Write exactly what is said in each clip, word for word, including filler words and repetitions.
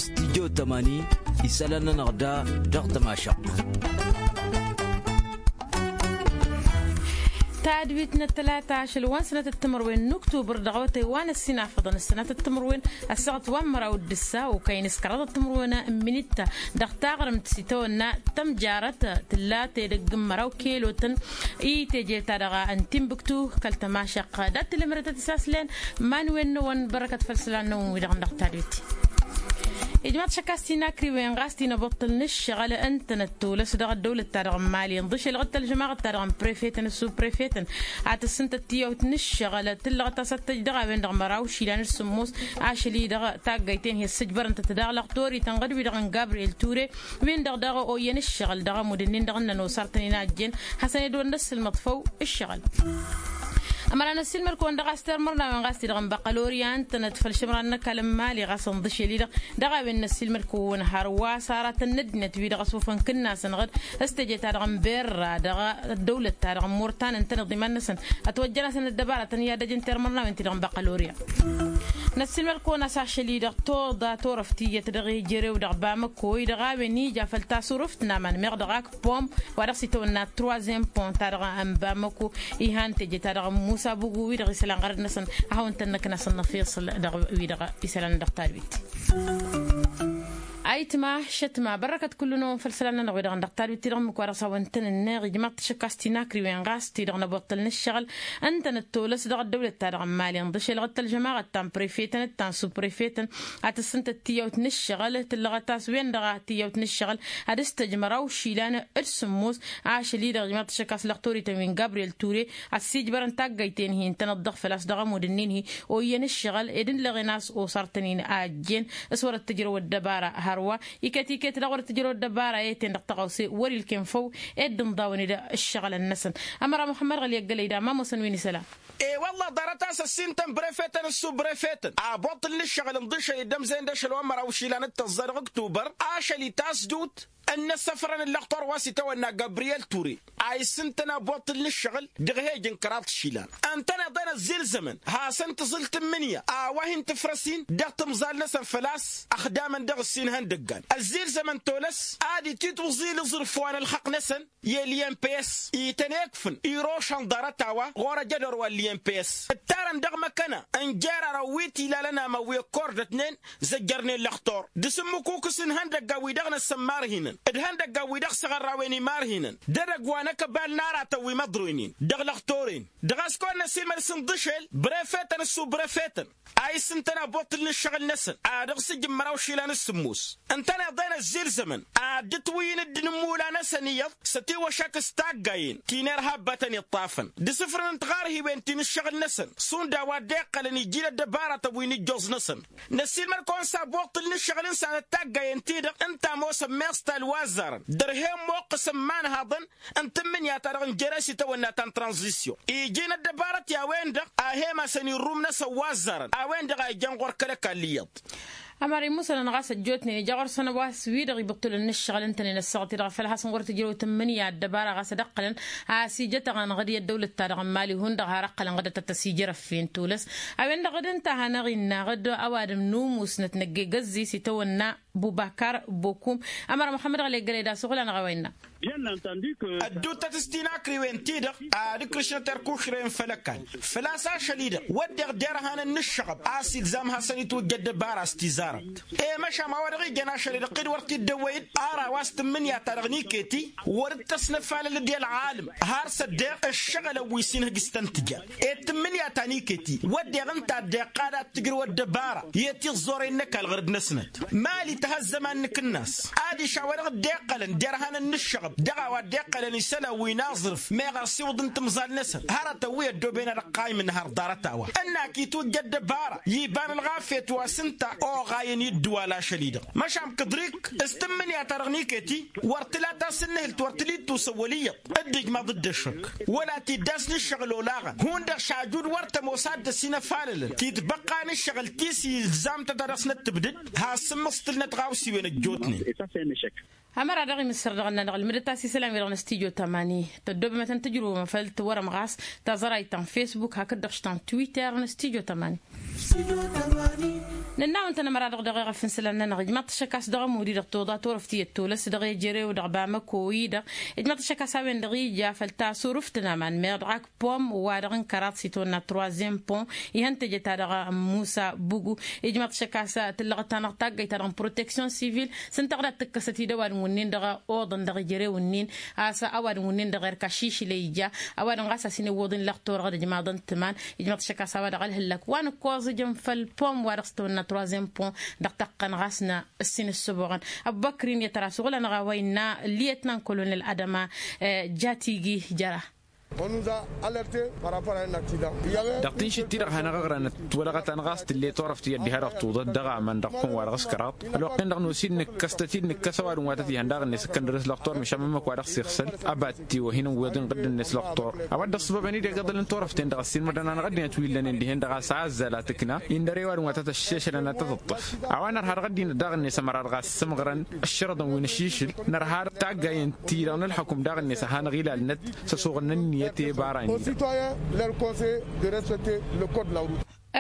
Stijjo tămani isălan-nănăɣ da dăɣ-tămašăɣt. Tadwit n-ăttălata ašăl wa n-sănatăt timǝrwen n-uktubăr dăɣ-awătay wa n-ăssinafăḍăn ăssanatăt timǝrwen ăssaɣăt wa n-măraw d-ǝssa okăyăn s-kăraḍăt timǝrwen n-imǝnitta dăɣ-taɣrǝmt s-itawănna tămjarăt tǝlla tedăgg n-măraw kelotăn i-teje-ta-dăɣ n-timbǝktu kăl-tămašăɣt dat-tǝlǝmrătăt isaslen. Iman-wen-năwăn bărăkăt făll-isălan-năwăn-wi-dăɣ n-dăɣ-tadwit. Ijmaḍ šăkkas tinakriwen ɣas tinăbuṭṭǝl n-ǝššăɣǝl ǝntănăt tolăs dăɣ-ăddăwlăt-ta-dăɣ n-mali ǝnḍǝšel ɣǝttăl žămaɣăt-ta-dăɣ n-prefetăn s-subprefetăn ad-tǝssǝntăt tiyawt n-ǝššăɣǝl tǝllăɣăt a-s ad-tăj dăɣ-a-wen-dăɣ măraw išilan s-sǝmmos ašăl-i-dăɣ taggayt-en hi-ăssǝjbărăn-tăt daɣ lăɣtorităn ɣǝd-wi-dăɣ n-gabriel ture win-dăɣ daɣ oyyăn ǝššăɣǝl dăɣ-amud-ǝnnin-dăɣ ǝnnăn osartăn-in a ăjjeen hasăn-ed wăr năssǝlmăḍ făw ǝššăɣǝl. Ămăra n-ăssiilmăd-kăwăn dăɣ-a-s tirmărnawen ɣas ti-dăɣ n-băqqălorya ǝntănăt făll-išǝmran n-ăkall n-imali ɣas ǝnḍǝšel-i-dăɣ dăɣ-a-wen n-ăssiilmăd-kăwăn hărwa s-aratăn n-ăddinăt-wi-dăɣ ăsofăn kǝnnasăn ɣǝd s-teje-ta-dăɣ n-berra dăɣ-ăddăwlăt-ta-dăɣ n-mortan ǝntăneḍ iman-năsăn ătwăjjăn-asăn ăddăbaratăn i-ad-ăj n-tirmărnawen ti-dăɣ n-băqqălorya. Năssiilmăd-kăwăn a-s ašăl-i-dăɣ toḍa turăft tiyyăt dăɣ-ejărew dăɣ-bamăko-i-dăɣ a-wen ija făll-tasurǝft n-aman meɣ dăɣ-ak pom wa dăɣ-s itawănna troisième pont-ta-dăɣ n-bamăko. Ihan teje-ta-dăɣ n-musa bugu-wi-dăɣ isălan ɣărăd-năsăn ad-hawăn-tăn-năknasăn n-afiṣǝl dăɣ-wi-dăɣ isălan dăɣ-tadwit. Ayǝtma šătma bărrăkăt kullu-năwăn făll-isălan-nănăɣ-wi-dăɣ n-dăɣ-tadwit-ti-dăɣ ǝmmǝk wa dăɣ-s a-wen tăn-ǝnneɣ ijmaḍ-t ašăkkas tinakriwen ɣas ti-dăɣ n-abuṭṭǝl n-ǝššăɣǝl ǝntănăt tolăs dăɣ-ăddăwlăt-ta-dăɣ n-mali ǝnḍǝšel ɣǝttăl žămaɣăt ta n-prefetăn d-ta n-subprefetăn ad-tǝssǝntăt tiyawt n-ǝššăɣǝl tǝllăɣăt a-s wen-dăɣ tiyawt n-ǝššăɣǝl ad-ǝstăjmăr awšilan d-sǝmmos ašăl-i-dăɣ ijmaḍ-t ašăkkas lăxtorităn wi n-gabriel ture ăssiijbărăn taggayt-en-hi ǝntănăt dăɣ-făl-a-s dăɣ-ămud-ǝnnin-hi oyyăn ǝššăɣǝl ed ǝllăɣen a-s osartăn-in a ăjjeen s-wăr-ăttǝjrăw ăddăbara hărwa iket-iket daɣ wăr-ăttǝjrăw ăddăbara i-ten dăɣ-tăɣawse wăr-ilken făw ed dd-inḍawăn-dd ǝššăɣǝlăn-năsăn. Ămăra muxămmăd ɣăli ăggălăy da ma ămoosăn wi n-isălan. E-wălla ḍarăt a-s ăssintăn brefetăn d-subbrefetăn abuṭṭǝl n-ǝššăɣǝl ǝnḍǝšăl-i dd-ămzăyăn d-ašăl wa n-măraw išilan d-tăẓẓa dăɣ-ǝktubăr ašăl-i tasdut ǝnnăssăfrăn ǝllăɣtor wa s-itawănna gabriyel ture a issǝntăn abuṭṭǝl n-ǝššăɣǝl dăɣ-ehăj n-kăraḍ išilan ǝntăneḍ-en ăzzilzămăn hasăn-tǝẓǝl tǝmmǝnǝya a-wa hin-tǝfrăs-in dăɣ-timẓal-năsăn făl-a-s ăxdamăn dăɣ-ǝssin ihăndăggan ăzzilzămăn tolăs ad-ititwǝẓǝl iẓrǝf wa n-ălxăqq-năsăn i-liyăn pes ităn-ekfǝn irošăn ḍarăt-a-wa ɣur-ăjădor wa n-liyăn pes ǝttarăn dăɣ-măkkăna n-jer-arăw wi t-ilalăn amăwwi ăkkordătnen zăjjărnen lăxtor d-asǝmmǝkukǝs n-ihăndăggan-wi-dăɣ năssămmarhinăn d-ihăndăggan-wi-dăɣ s-aɣărrawen imarhinăn d-edăgg wa n-akăbal n-aratăn wi măḍroynen dăɣ-lăxtor-en dăɣ-a-s kăwăn-năsilmăd s-ǝnḍǝšel brefetăn d-subbrefetăn a issǝntăn abuṭṭǝl n-ǝššăɣǝl-năsăn ad-ăɣsǝjǝm măraw išilan d-sǝmmos ǝntăneḍ-en ăzzilzămăn ad-dd-ǝtwǝyyǝn dd-inǝmmula-năsăn iyyăḍ s-ătiwăšak s-taggayen ti n-irhabbatăn iṭṭafăn d-isǝfrǝn n-tiɣarhiwen ti n-ǝššăɣǝl-năsăn šund a-wa dd-iqqălăn iji n-ăddăbaratăn wi n-ijjoẓ-năsăn. Năssiilmăd-kăwăn s-abuṭṭǝl n-ǝššăɣǝl n-sanăt taggayen-ti-dăɣ ǝnta ămoosăn meẓ talwazzarăn dăr-hen imuqqǝsăn imanhaḍăn n-tǝmmǝnǝya-ta-dăɣ n-jere s-itawănna ta n-tranzisyon iji n-ăddăbarăt i-a-wen-dăɣ a hem-asăn irrum-năsăn wazzarăn a-wen-dăɣ a ijăn ɣur-kăl-ăkall iyyăḍ. Ămăra imusănăn ɣas ăjjootnen ija ɣur-săn a-wa s-wi-dăɣ ibǝṭṭǝlăn n-ǝššăɣǝl ǝntănen ăssaɣăt-i-dăɣ făl hasăn wăr tǝjrăw tǝmmǝnǝya ăddăbara ɣas ad-ăqqălăn a-s ijătăɣăn ɣǝd i-ăddăwlăt-ta-dăɣ n-mali hundăɣ har ăqqălăn ɣǝdăt ad-tăsijărăf-en tolăs. A-wen-dăɣ dd-ǝnta a hanăɣ-innă ɣǝd ăwadǝm n-umusnăt năgg-egăzzis itawănna bubakar bokum. Ămăra muxămmăd ɣăli ăggălăy d-asǝɣǝl-anăɣ a-wa innă. Ădduuttăt s-tinakriwen-ti-dăɣ ad-ǝkrǝšnăt erkušren făll-ăkall făl-a-s ašăl-i-dăɣ wădden derhanăn n-ǝššăɣăb a-s ilzam hasăn-itwǝjja ăddăbara s-tizarăt. I-măšan a-wa dăɣ-ijăn ašăl-i-dăɣ ɣǝd wăr t-dd-ăwwăy-dd ara wa s-tǝmmǝnǝya-ta-dăɣ n-iket-i wăr dd-tăsnăfalăl d-i ălɣalăm har s-ăddeɣ ǝššăɣǝlăn wi s-inhǝj s-tăn-tǝjăr i-tǝmmǝnǝya ta n-iket-i wădden ǝnta ăddeɣ qad ad-tǝjrǝw ăddăbara i-tiẓẓoren n-ăkall ɣur-dd-năsnăt. Mali tăha ăzzăman n-akǝnnas adiš a-wa dăɣ-dd-iqqălăn derhanăn n-ǝššăɣăb dăɣ-a-wa dd-iqqălăn isălan wi n-aẓrǝf meɣ asiwǝḍ n-timẓal-năsăn hărătăn wi ăddooben ad-ăqqaymǝn har ḍarăt-a-wa ǝnn-ak itwǝjja ăddăbara iba n-ălɣafyăt wa s-ǝnta oɣayăn i-ǝddǝwal ašăl-i-dăɣ măšan kǝḍrikk s-tǝmmǝnǝya-ta-dăɣ n-iket-i wăr tǝla tasǝnnǝhǝlt wăr tǝla ittusăwwăl iyyăḍ dd-ijmaḍ-dd ăššăk wăla tiddas n-ǝššăɣǝl olaɣăn hundăɣ šajud wăr tămoos ad-dd-ăsinăfalălăn titbăqqa n-ǝššăɣǝl ti s-ilzam-tăt ad-dăɣ-snăt tǝbdǝd has-sǝmmǝẓtǝlnăt ɣawsiwen ăjjootnen. Ămăra-dăɣ imǝssăr dăɣ-ănnanăɣ ǝlmǝdăt-as isălan-wi-dăɣ n-studyo tămani. Tăddoobămătăn tǝjrǝwăm făll-tiwărăm ɣas taẓărayt ta n-fesbuk hakd-dăɣ ta n-twitter n-studyo tămani. Nǝnnawăn-tăn ămăra-dăɣ dăɣ-eɣăf n-isălan-nănăɣ ijmaḍ-t ăššăk a-s dăɣ-ămud-i-dăɣ tuḍa turăft iyyăt tolăs dăɣ-ejărew dăɣ-bamăko-i-dăɣ. Ijmaḍ-t ăššăk a-s a-wen-dăɣ ija făll-tasurǝft n-aman meɣ dăɣ-ak pom wa-dăɣ n-kăraḍ s-itwănna troizième pont ihăn tejăt-ta-dăɣ n-musa bugu. Ijmaḍ-t ăššăk a-s tǝllăɣăt-anăɣ taggayt-ta-dăɣ n-protection civil s-ǝnta ɣǝd a t-tǝkkăsăt i-dd ăwadǝm wǝnnin dăɣ-oḍăn dăɣ-ijărew-ǝnnin a-s ăwadǝm wǝnnin dăɣ-erk ašišǝl ija. Ăwadǝm ɣas a-s hin-ǝwwăḍ-in lăxtur ɣǝd ǝjmaḍăn tǝman. Ijmaḍ-t ăššăk a-s a-wa dăɣ-ălhǝllăk wa n-ǝkkoẓ ǝjăn făll-pom wa dăɣ-s tăwănna troizième pont dăɣ-tăqqăn ɣas n-ǝssin ǝssǝboɣăn. Ăbbăkr-in i-tăra s-uɣǝl-anăɣ a-wa innă lietnan kolonel adăma jatigi jăra. Dăɣ-tinšǝt-ti-dăɣ hanăɣ-ăɣrănăt wălăɣăt-anăɣ a-s tǝlle turăft iyyăt diha-dăɣ tuḍăt dăɣ-aman dăɣ-pom wa dăɣ-s kăraḍ. Ălwăqq-en-dăɣ nosǝd nǝkkăstăt-dd nǝkkăs ăwadǝm wa tăt-ihăn daɣ-net ǝkkăn dăr-s lăqtor măšan mămmăk wa dăɣ-s ixsăl. Ăba tiwăhin n-wiḍin ɣǝdd-net lăqtor. A-wa dd-ăṣṣăbăbăn-dd i-găḍăl n-turăft-en-dăɣ ăssiilmădăn-anăɣ ăddinăt wi ǝllănen dihen-dăɣ a-s azzal a tǝkna indăr i-ăwadǝm wa tăt-ăššešălăn ad-tăt-ǝṭṭǝf. A-wa nărha dăɣ-ăddinăt daɣ-net ămăra dăɣ-a ăssǝmɣărăn ăššărăḍăn wi n-ašišǝl. Nărha taggay n-ti-dăɣ n-ălxăkum daɣ-net a hanăɣ-ilalnăt s-ăsuɣǝl n-ǝnniyăt i-ibarra-in-dăɣ.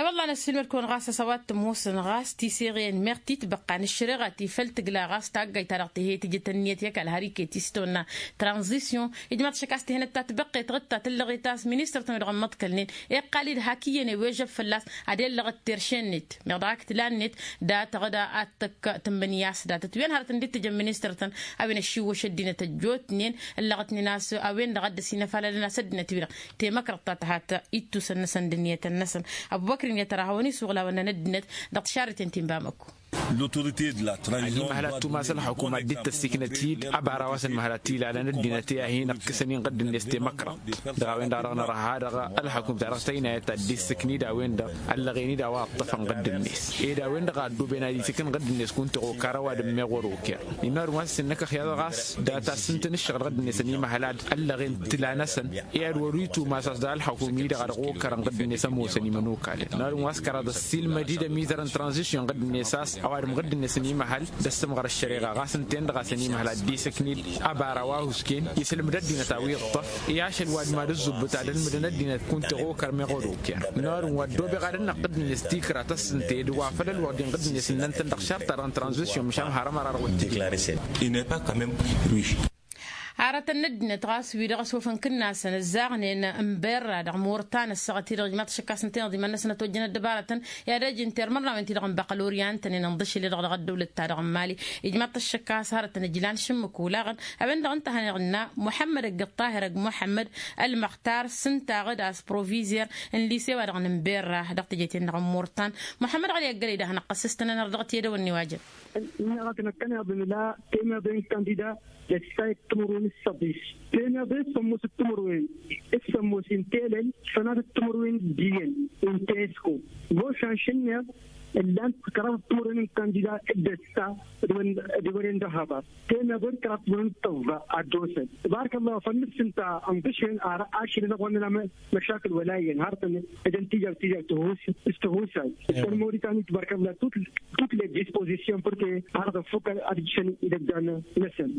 Ăwălla năssiilmăd-kăwăn ɣas a-s a-wa t-ămoosăn ɣas tiseɣe n-meɣ titbăqqa n-ăššăreɣa ti făll-tǝgla ɣas taggayt-ta-dăɣ tihăy tǝjǝt ǝnniyăt i-ăkall har iket-i s-tăwănna tranzisyon. Ijmaḍ-t ăššăk a-s tihănăt ta tibăqqet ɣǝd ta tǝllăɣet a-s ministăr-tăn wi-dăɣ ămmăḍkălnen iqqal-dd hak iyyăn i-wejăb fălla-s ad-ellăɣ tirše-net meɣ dăɣ-ak tǝla-net. Dat-tăɣ d-ad-tăkk tǝmmǝnǝya s-datăt wi ănhărătăn dd-tǝjăn ministăr-tăn a-wen ăššiwwăš ăddinăt ăjjootnen ǝllăɣătnen a-s a-wen-dăɣ a dd-ăsinăfalălăn a-s ăddinăt-wi-dăɣ temăkrăḍt ta tăhat ittusăn-năsăn d-ǝnniyătăn-năsăn. Ăbubăkr-in i-ad-tăra hawăn-isuɣǝl a-wăn năn ăddinăt dăɣ-tišarriten ti n-bamăkko. Ad-imăhăl ad-tumas ălxukum ad-dd-tăssiknăt-dd abara wa s-ănmăhăl ad-t-ilalăn ăddinăt i-ad-hin-ǝqqǝsăn inɣǝdd-net temăkrăḍt. Dăɣ-a-wen-dăɣ a dăɣ-nărha dăɣ-ălxukum ta dăɣ-tăynayăt ad-dd-issǝknid a-wen-dăɣ ăllăɣen-dd a-wa ǝṭṭăfăn ɣǝdd-net. Ed a-wen-dăɣ a ăddoben ad-itǝkǝn ɣǝdd-net kunta iɣokar ăwadǝm meɣ wăr-oker. Innă ăwadǝm wa s-innăkăx i-ad-dăɣ a-s data s-ǝnta n-ǝššăɣǝl ɣǝdd-net ănimăhăl ad-ăllăɣen tǝla-năsăn. I-ad wăr-itumas a-s dăɣ-ălxăkum-i-dăɣ a dăɣ-okărăn ɣǝdd-net ămoosăn imănokalăn n-ăwadǝm wa s-kăraḍ ăssiilmăd-dd ămizăr n-tranzisyon ɣǝdd-net a-s ăwadǝm ɣǝdd-net ănimăhăl d-ăssǝmɣăr ăššăreɣa ɣas ǝnta-en-dăɣ a-s ănimăhăl ad-dd-isǝknid. Abara wa husken isǝlmǝd ăddinăt a-wi ǝṭṭăf i-ašăl wa d-mad-ǝzzubbǝt ad-ǝlmǝdăn ăddinăt kunta iɣokăr meɣ wăr-oker. N-ăwadǝm wa ăddoobeɣ ad-ănnăɣ ɣǝdd-net tikra tăssǝnte d-wa făl ălwăqq-din ɣǝdd-net ǝnnăn-tăn dăɣ-šart-ta-dăɣ n-tranzisyon măšan har ămăra-dăɣ wăr t-dd-ikla. Hărătăn n-ăddinăt ɣas wi-dăɣ ăsofăn kǝnnasăn ǝzzaɣnen n-berra dăɣ-murtan ăssaɣăt-i-dăɣ ijmaḍ-t ăššăk a-s ǝnta-i n-iḍimăn-năsăn ătwăjjăn ăddăbarătăn i-ad-ăj n-termărnawen-ti-dăɣ n-băqăl oryan tăn-in-ǝnḍǝšǝl-i-dăɣ dăɣ-ăddăwlăt-ta-dăɣ n-mali. Ijmaḍ-t ăššăk a-s hărătăn ǝjlan šǝmmǝk olaɣăn a-wen-dăɣ ǝnta a hanăɣ-ǝnna muḥămmăd ăgg-ăṭṭahir ăgg muḥămmăd ălmăxtar s-ǝntaɣ-dd a-s provizer n-lise-wa-dăɣ n-berra dăɣ-teje-ten-dăɣ n-murtan. Muḥămmăd ɣăli ăggălăy d-ad-hanăɣ-tăssǝstănăn ar dăɣ-tiyădăwăn n-iwajăn. Ănn-i-dăɣ a tăn-ăkkăneḍ ǝnla temeḍe n-kandida d-ăssayăt timǝrwen s-săḍis. Temeḍe s-sămmos timǝrwen s-sămmos n-telăl, fănatăt timǝrwen d-iyyăn n-tesko. Mošan šǝnneḍ ǝllan-t kăraḍăt timǝrwen n-kandida d-ăssa d-wăren d-ăhăḍăr. Temeḍe d-kăraḍăt timǝrwen d-tăẓẓa ad-dd-osăn. Tbarăk ăllah făll-nǝfs ǝnta ănḍǝšen ar ašăl-i-dăɣ wănnăn amăšakǝl wăla iyyăn harătăn ed ăntija d-tija s-tihusay. Ed tăn-mori tani tbarăk ăllah tut tut les dispositions părke har ad-ăffuk ad-ǝjšăn idăggan-năsăn.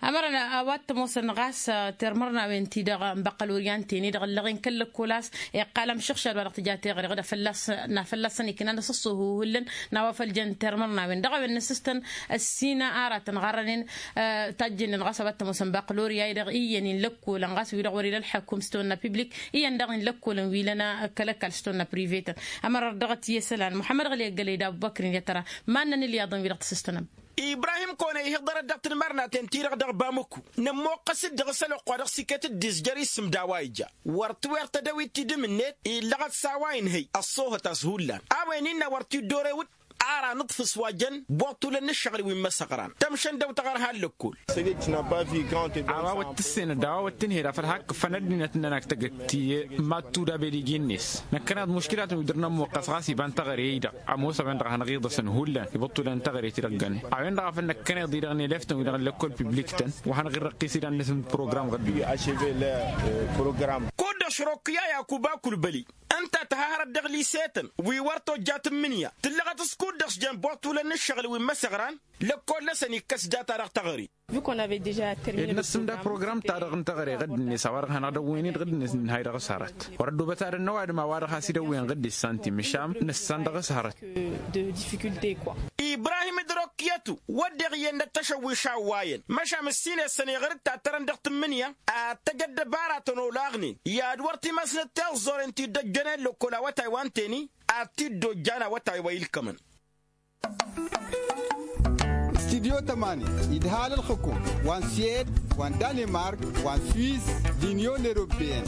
Ămărăn a-wa t-ămoosăn ɣas termărnawen-ti-dăɣ n-băqqăl oryan-ten-i-dăɣ ăllăɣen kăl-lăkkol a-s iqqal amšăɣšad wa dăɣ-tǝja teɣăre ɣǝd a fălla-s n-a fălla-săn iknan asǝṣṣuhu hullan n-a-wa făl jăn termărnawen dăɣ-a-wen n-asǝstăn ăssină aratăn ɣarrănen. Tajjǝnnen ɣas a-wa t-ămoosăn băqqăl orya-i-dăɣ iyyăn-in lăkkolăn ɣas wi-dăɣ wăr-ila ălḥăkum s-tawănna piblik iyyăn daɣ-in lăkkolăn wi lăna kăl-ăkall s-tawănna privetăn. Ămăra dăɣ-t i-isălan muḥămmăd ɣăli ăggălăy d-abubăkr-in i-ad-tăra. Ma ǝnnăn ǝlyaḍăn-wi-dăɣ tǝsǝstănăm. Ibrahim kăwăn-e-ihǝḍărăt dăɣ-tinmărnaten-ti-dăɣ dăɣ-bamǝku. Nămmoqqăs-dd dăɣ-s ălwăqq wa dăɣ-s iket dd-izjăr isǝm d-a-wa ija wăr t-wer tădăwit tidǝm-net illăɣăt s-a-wa inhăy ăṣṣoohăt a-s hullan. A-wen innă wăr t-dd-orewǝd. Ar anǝḍfǝs wa jăn boṭṭulăn n-ǝššăɣǝl wi n-imăsăɣran tămšăn dăw-tăɣ ărha n-lăkkol. A-wa wăt tǝssenăd a-wa wăt tǝnhăyăd afăl hakkǝffăn ăddinăt-nănăk tăgg-t. Tiyyă mad-tudab ed iji-net năkkăneḍ muškilatăn wi dăr-nămmuqqăs ɣas iba n-teɣăre-i-dăɣ. Ămoos a-wen-dăɣ a hanăɣ-iḍăsăn hullan ibǝṭṭulăn n-teɣăre-ti-dăɣ ǝggăne. A-wen-dăɣ a făl năkkăneḍ-i-dăɣ n-eleftăn-wi-dăɣ n-lăkkol piblik-tăn wa hanăɣ-irrăqqis idan-năsăn d-program ɣǝddu. Kud-dăɣ Ašrokk i-a yakuba kulbăli ǝnta a tăhahărăt dăɣ-lise-tăn wi wăr tojja tǝmmǝnǝya tǝllăɣăt s-kud-dăɣ s-jăn boṭulăn n-ǝššăɣǝl wi n-imăsăɣran. Lăkkol-năsăn ikkăs data dăɣ-teɣăre. Ed năssǝmda program-ta-dăɣ n-teɣăre ɣǝdd-net a-wa-dăɣ hanăɣ-dăwwăyăn-dd ɣǝdd-net ǝnnǝhay dăɣ-s hărăt. Wăr-ăddoobăt ad-ănnăwadǝm a-wa-dăɣ has-idăwwăyăn ɣǝdd-net santi măšan nǝssan dăɣ-s hărăt. Ibrahim d-rokyătu wădden iyyăn d-ăttăšăwwiš a ǝwwayăn măšan ǝssin essăn iɣăr d-tattărăn dăɣ-tǝmmǝnǝya ad-tăj ăddăbaratăn olaɣnen i-ad-wăr timăsnăt tiẓẓoren ti dd-ăjjănen lăkkol awătay wa n-teni ad-t-dd-ojjan awătay wa ilkămăn. Studyo tămani idhal ălxǝkum wa n-suwed wa n-danemark wa n-swiss d-inyon europeyăn.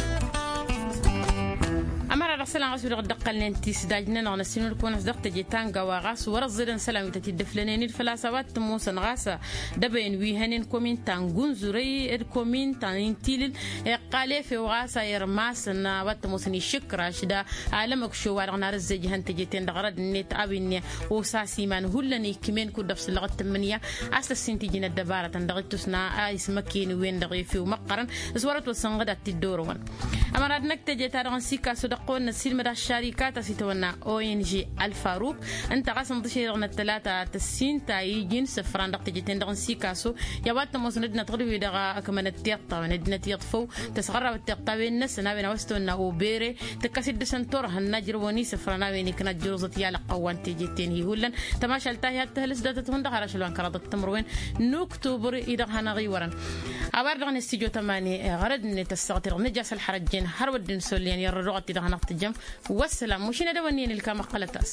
Ămăra dăɣ-isălan ɣas wi-dăɣ dd-ǝqqălnen tisdaj-nănăɣ n-ăssinǝlkăwăn-as dăɣ-teje ta n-gawa ɣas wăr-ăẓẓedăn isălan wi tăt-dd-ǝflănen-dd făl-a-s a-wa t-ămoosăn ɣas dăbăyăn wi hănen komin ta n-gunzurăy d-komin ta n-intilǝl. Iqqal efew ɣas a irmasăn a-wa t-ămoosăn išǝkraš da alămăkšo wa-dăɣ n-arǝzzej ihăn teje-ten-dăɣ rădd-net a-wen osas iman hullan ikmen kud-dăɣ s-ǝllăɣăt tǝmmǝnǝya. A-s tăssin tiji n-ăddăbarătăn dăɣ-ittus n-a ismăken-wen-dăɣ efew măqqărăn s-wăr-ătwăsănɣăd ad-t-dd-orăwăn. Ămăra d-năkk teje-ta-dăɣ n-sikaso dăɣ-kăwăn-năssiilmăd aššarika ta s-itawănna ong ălfaruk ǝnta ɣas ǝnḍǝšen-dăɣ n-ăttălata tăssin ta iji n-isǝfran dăɣ-teje-ten-dăɣ n-sikaso. I-a-wa t-ămoosăn ăddinăt ɣur-wi-dăɣ ăkmănăt tiṭṭawen ăddinăt iyyăḍ făw tăsɣărrawăt tiṭṭawen-năsăn a-wen a-wa s-tăwănna obere tǝkkăs-dd dăɣ-săn turhăn n-ajrăwăn isǝfran a-wen ikna ăjjăruẓăt i-alăqqăwwan teje-ten-hi hullan. Tămašalt ta hi-ad-tǝhǝlǝs datăt hundăɣ har ašăl wa n-kăraḍăt timǝrwen n-uktubăr-i-dăɣ hanăɣ-iwărăn. A-wa-dăɣ dăɣ-ne studyo tămani ɣărăd-net ăssaɣăt-i-dăɣ nǝja s-ălxărăjjen har wădden s-ollen i-ărrăduɣăt-i-dăɣ hanăɣ-tǝjjăm. Wăssalam mašin ad-ăwănni n-ilkam ăqqălăt-as.